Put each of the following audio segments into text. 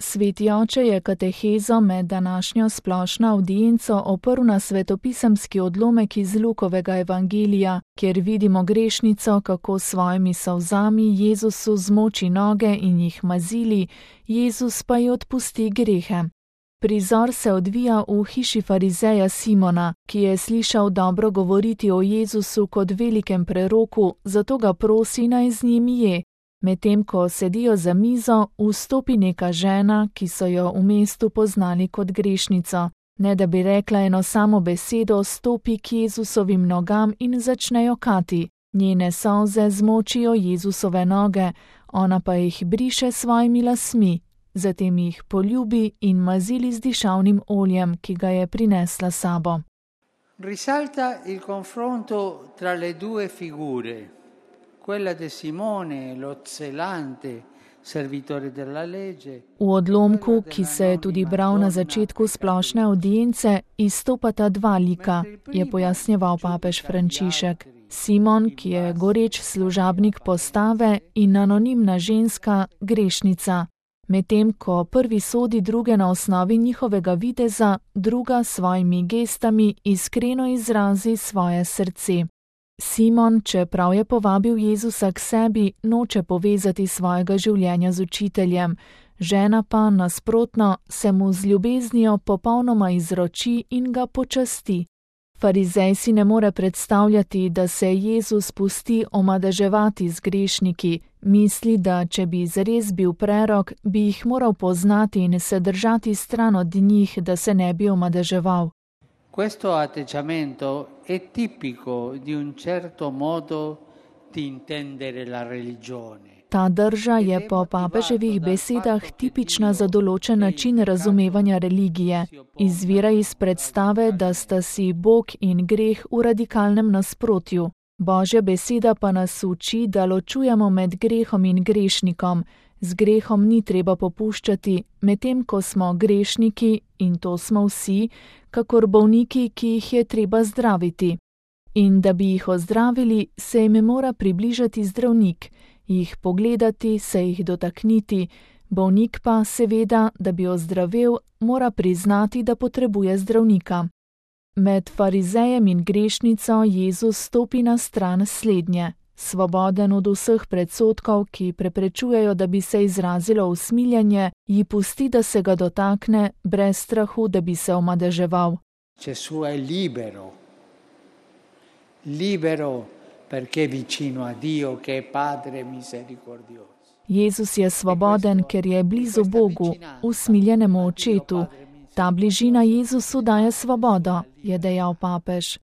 Sveti oče je katehezo med današnjo splošno avdienco oprl na svetopisemski odlomek iz Lukovega evangelija, kjer vidimo grešnico, kako s svojimi solzami Jezusu zmoči noge in jih mazili, Jezus pa ji odpusti grehe. Prizor se odvija v hiši farizeja Simona, ki je slišal dobro govoriti o Jezusu kot velikem preroku, zato ga prosi, naj z njim je. Medtem ko sedijo za mizo, vstopi neka žena, ki so jo v mestu poznali kot grešnico. Ne da bi rekla eno samo besedo, stopi k Jezusovim nogam in začne jokati. Njene solze zmočijo Jezusove noge, ona pa jih briše s svojimi lasmi. Zatem jih poljubi in mazili z dišavnim oljem, ki ga je prinesla sabo. Risalta il confronto tra le due figure, quella di Simone, lo zelante servitore della legge. V odlomku, ki se je tudi bral na začetku splošne avdience, izstopata dva lika, je pojasnjeval papež Frančišek. Simon, ki je goreč služabnik postave, in anonimna ženska, grešnica. Medtem ko prvi sodi druge na osnovi njihovega videza, druga s svojimi gestami iskreno izrazi svoje srce. Simon, čeprav je povabil Jezusa k sebi, noče povezati svojega življenja z učiteljem, žena pa, nasprotno, se mu z ljubeznijo popolnoma izroči in ga počasti. Farizej si ne more predstavljati, da se Jezus pusti omadeževati z grešniki, misli, da če bi zares bil prerok, bi jih moral poznati in se držati stran od njih, da se ne bi omadeževal. Questo atteggiamento è tipico di un certo modo di intendere la religione. Ta drža je po papeževih besedah tipična za določen način razumevanja religije. Izvira iz predstave, da sta si Bog in greh v radikalnem nasprotju. Božja beseda pa nas uči, da ločujemo med grehom in grešnikom. Z grehom ni treba popuščati, medtem ko smo grešniki, in to smo vsi, kakor bolniki, ki jih je treba zdraviti. In da bi jih ozdravili, se jim mora približati zdravnik, jih pogledati, se jih dotakniti, bolnik pa seveda, da bi ozdravel, mora priznati, da potrebuje zdravnika. Med farizejem in grešnico Jezus stopi na stran slednje. Svoboden od vseh predsodkov, ki preprečujejo, da bi se izrazilo usmiljenje, ji pusti, da se ga dotakne, brez strahu, da bi se omadeževal. Gesù è libero perché è vicino a Dio che è Padre misericordioso. Jezus je svoboden, ker je blizu Bogu, usmiljenemu očetu. Ta bližina Jezusu daje svobodo, je dejal papež.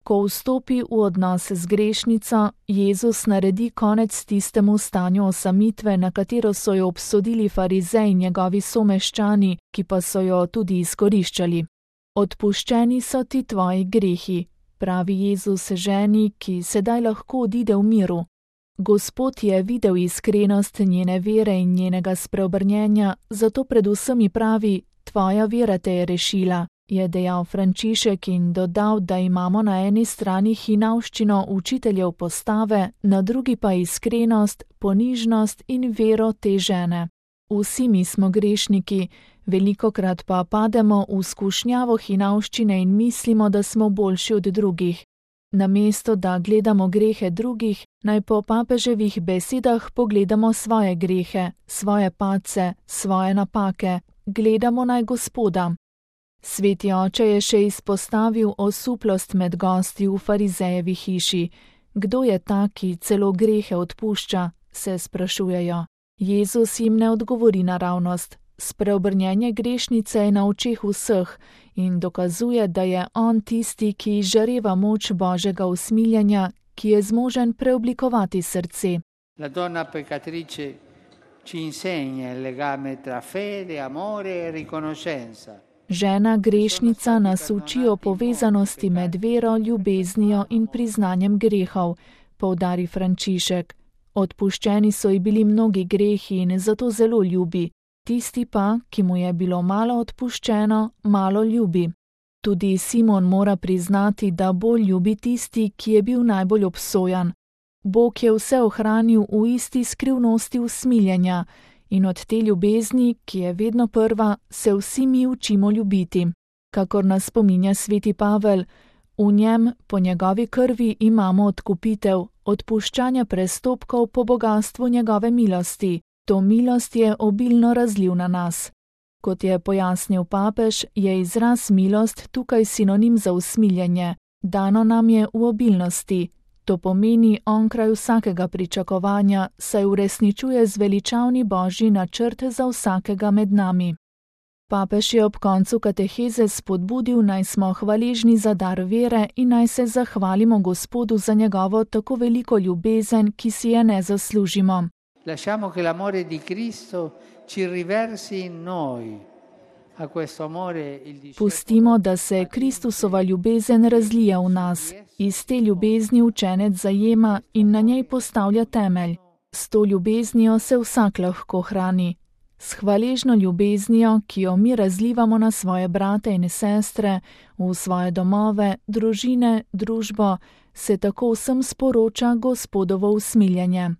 Ko vstopi v odnos z grešnico, Jezus naredi konec tistemu stanju osamitve, na katero so jo obsodili farizej in njegovi someščani, ki pa so jo tudi izkoriščali. Odpuščeni so ti tvoji grehi, pravi Jezus ženi, ki sedaj lahko odide v miru. Gospod je videl iskrenost njene vere in njenega spreobrnjenja, zato predvsem pravi, tvoja vera te je rešila, je dejal Frančišek in dodal, da imamo na eni strani hinavščino učiteljev postave, na drugi pa iskrenost, ponižnost in vero te žene. Vsi mi smo grešniki, velikokrat pa pademo v skušnjavo hinavščine in mislimo, da smo boljši od drugih. Namesto da gledamo grehe drugih, naj po papeževih besedah pogledamo svoje grehe, svoje padce, svoje napake, gledamo naj Gospoda. Sveti oče je še izpostavil osuplost med gosti v farizejevi hiši. Kdo je ta, ki celo grehe odpušča, se sprašujejo. Jezus jim ne odgovori naravnost. Spreobrnjenje grešnice je na očeh vseh in dokazuje, da je on tisti, ki izžareva moč Božjega usmiljenja, ki je zmožen preoblikovati srce. La donna peccatrice ci insegna il legame tra fede, amore e riconoscenza. Žena grešnica nas uči o povezanosti med vero, ljubeznijo in priznanjem grehov, poudari Frančišek. Odpuščeni so ji bili mnogi grehi in zato zelo ljubi. Tisti pa, ki mu je bilo malo odpuščeno, malo ljubi. Tudi Simon mora priznati, da bolj ljubi tisti, ki je bil najbolj obsojan. Bog je vse ohranil v isti skrivnosti usmiljenja in od te ljubezni, ki je vedno prva, se vsi mi učimo ljubiti. Kakor nas spominja sveti Pavel, v njem, po njegovi krvi, imamo odkupitev, odpuščanja prestopkov po bogastvu njegove milosti. To milost je obilno razlil na nas. Kot je pojasnil papež, je izraz milost tukaj sinonim za usmiljenje. Dano nam je v obilnosti. To pomeni onkraj vsakega pričakovanja, saj uresničuje zveličavni božji načrt za vsakega med nami. Papež je ob koncu kateheze spodbudil, naj smo hvaležni za dar vere in naj se zahvalimo Gospodu za njegovo tako veliko ljubezen, ki si je ne zaslužimo. Lasciamo che l'amore di Cristo ci riversi in noi. A questo amore il discepolo... Pustimo, da se Kristusova ljubezen razlija v nas. Iz te ljubezni učenec zajema in na njej postavlja temelj. S to ljubeznijo se vsak lahko hrani. S hvaležno ljubeznijo, ki jo mi razlivamo na svoje brate in sestre, v svoje domove, družine, družbo, se tako vsem sporoča Gospodovo usmiljenje.